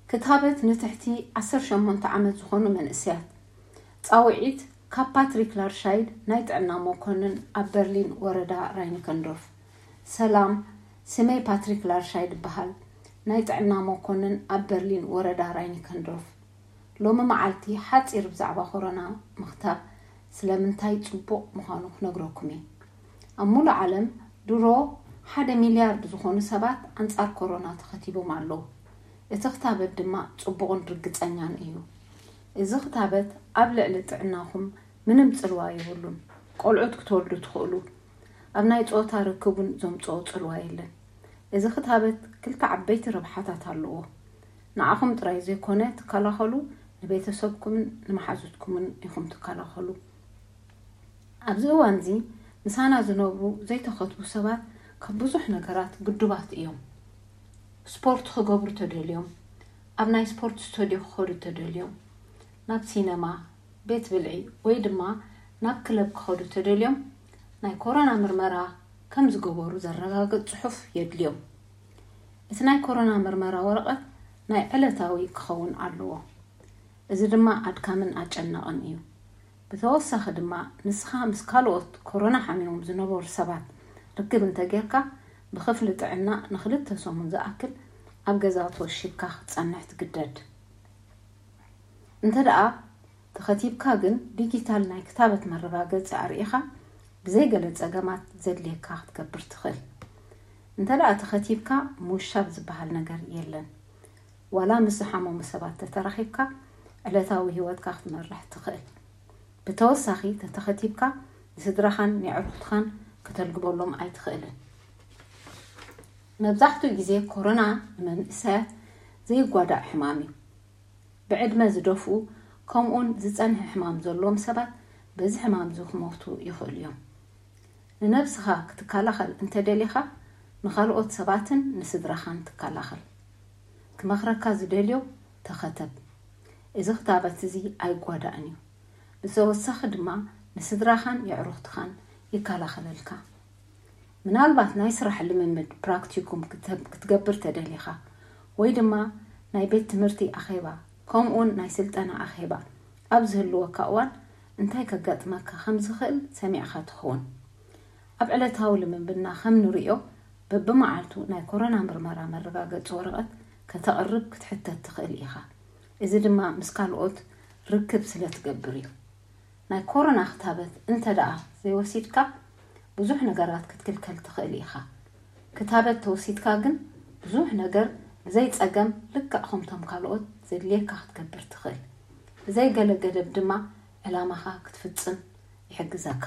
ክታበት ንትሕቲ ዓሰርተ ሸሞንተ ዓመት ዝኾኑ መንእሰያት። ጻውዒት ካብ ፓትሪክ ላርሻይድ፣ ናይ ጥዕና መኮንን ኣብ በርሊን ወረዳ ራይኒከንዶርፍ። ሰላም፣ ስመይ ፓትሪክ ላርሻይድ ይበሃል። ናይ ጥዕና መኮንን ኣብ በርሊን ወረዳ ራይኒከንዶርፍ። ሎሚ መዓልቲ ሓጺር ብዛዕባ ኮሮና ምኽታብ ስለምንታይ ጽቡቕ ምዃኑ ክነግረኩም እየ። ኣብ ሙሉእ ዓለም ድሮ ሓደ ሚልያርድ ዝኾኑ ሰባት ኣንጻር ኮሮና ተኸቲቦም ኣለዉ። እቲ ክታበት ድማ ጽቡቕን ርግጸኛን እዩ። እዚ ክታበት ኣብ ልዕሊ ጥዕናኹም ምንም ጽልዋ የብሉን። ቆልዑት ክትወልዱ ትኽእሉ። ኣብ ናይ ጾታ ርክብ እውን ዘምጽኦ ጽልዋ የለን። እዚ ክታበት ክልተ ዓበይቲ ረብሓታት ኣለዎ። ንዓኹም ጥራይ ዘይኮነ ትከላኸሉ፣ ንቤተሰብኩምን ንመሓዙትኩምን ኢኹም ትከላኸሉ። ኣብዚ እዋን እዚ ምሳና ዝነብሩ ዘይተኸትቡ ሰባት ካብ ብዙሕ ነገራት ግዱባት እዮም። ስፖርት ክገብሩ ተደልዮም፣ ኣብ ናይ ስፖርት ስቱድዮ ክኸዱ ተደልዮም፣ ናብ ሲነማ፣ ቤት ብልዒ ወይ ድማ ናብ ክለብ ክኸዱ ተደልዮም ናይ ኮሮና ምርመራ ከም ዝገበሩ ዘረጋግጽ ጽሑፍ የድልዮም። እቲ ናይ ኮሮና ምርመራ ወረቐት ናይ ዕለታዊ ክኸውን ኣለዎ። እዚ ድማ ኣድካምን ኣጨናቕን እዩ። ብተወሳኺ ድማ ንስኻ ምስ ካልኦት ኮሮና ሓሚሞም ዝነበሩ ሰባት ርክብ እንተጌርካ ብክፍሊ ጥዕና ንክልተ ሰሙን ዝኣክል ኣብ ገዛ ተወሺብካ ክትጸንሕ ትግደድ። እንተ ደኣ ተኸቲብካ ግን ዲጂታል ናይ ክታበት መረጋገጺ ኣርኢኻ ብዘይ ገለ ጸገማት ዘድልየካ ክትገብር ትኽእል። እንተ ደኣ ተኸቲብካ ምውሻብ ዝበሃል ነገር የለን። ዋላ ምስ ዝሓመሙ ሰባት ተተራኺብካ ዕለታዊ ህይወትካ ክትመርሕ ትኽእል። ብተወሳኺ ተተኸቲብካ ንስድራኻን ንዕሩኽትኻን ከተልግበሎም ኣይትኽእልን። መብዛሕትኡ ግዜ ኮሮና ንመንእሰያት ዘይጓዳእ ሕማም እዩ። ብዕድመ ዝደፍኡ ከምኡውን ዝጸንሐ ሕማም ዘለዎም ሰባት በዚ ሕማም እዚ ክሞቱ ይኽእሉ እዮም። ንነብስኻ ክትከላኸል እንተደሊኻ ንኻልኦት ሰባትን ንስድራኻን ትከላኸል። ክመኽረካ ዝደልዮ ተኸተብ። እዚ ክታበት እዚ ኣይጓዳእን እዩ። ብተወሳኺ ድማ ንስድራኻን የዕሩኽትኻን ይከላኸለልካ። ምናልባት ናይ ስራሕ ልምምድ ፕራክቲኩም ክትገብር ተደሊኻ ወይ ድማ ናይ ቤት ትምህርቲ ኣኼባ ከምኡውን ናይ ስልጠና ኣኼባ ኣብ ዝህልወካ እዋን እንታይ ከጋጥመካ ከም ዝኽእል ሰሚዕኻ ትኸውን። ኣብ ዕለታዊ ልምምድና ከም ንርእዮ በብመዓልቱ ናይ ኮሮና ምርመራ መረጋገጺ ወረቐት ከተቕርብ ክትሕተት ትኽእል ኢኻ። እዚ ድማ ምስ ካልኦት ርክብ ስለ ትገብር እዩ። ናይ ኮሮና ክታበት እንተ ደኣ ዘይወሲድካ ብዙሕ ነገራት ክትክልከል ትኽእል ኢኻ። ክታበት ተወሲድካ ግን ብዙሕ ነገር ብዘይ ጸገም ልክዕ ከምቶም ካልኦት ዘድልየካ ክትገብር ትኽእል። ብዘይ ገለ ገደብ ድማ ዕላማኻ ክትፍጽም ይሕግዘካ።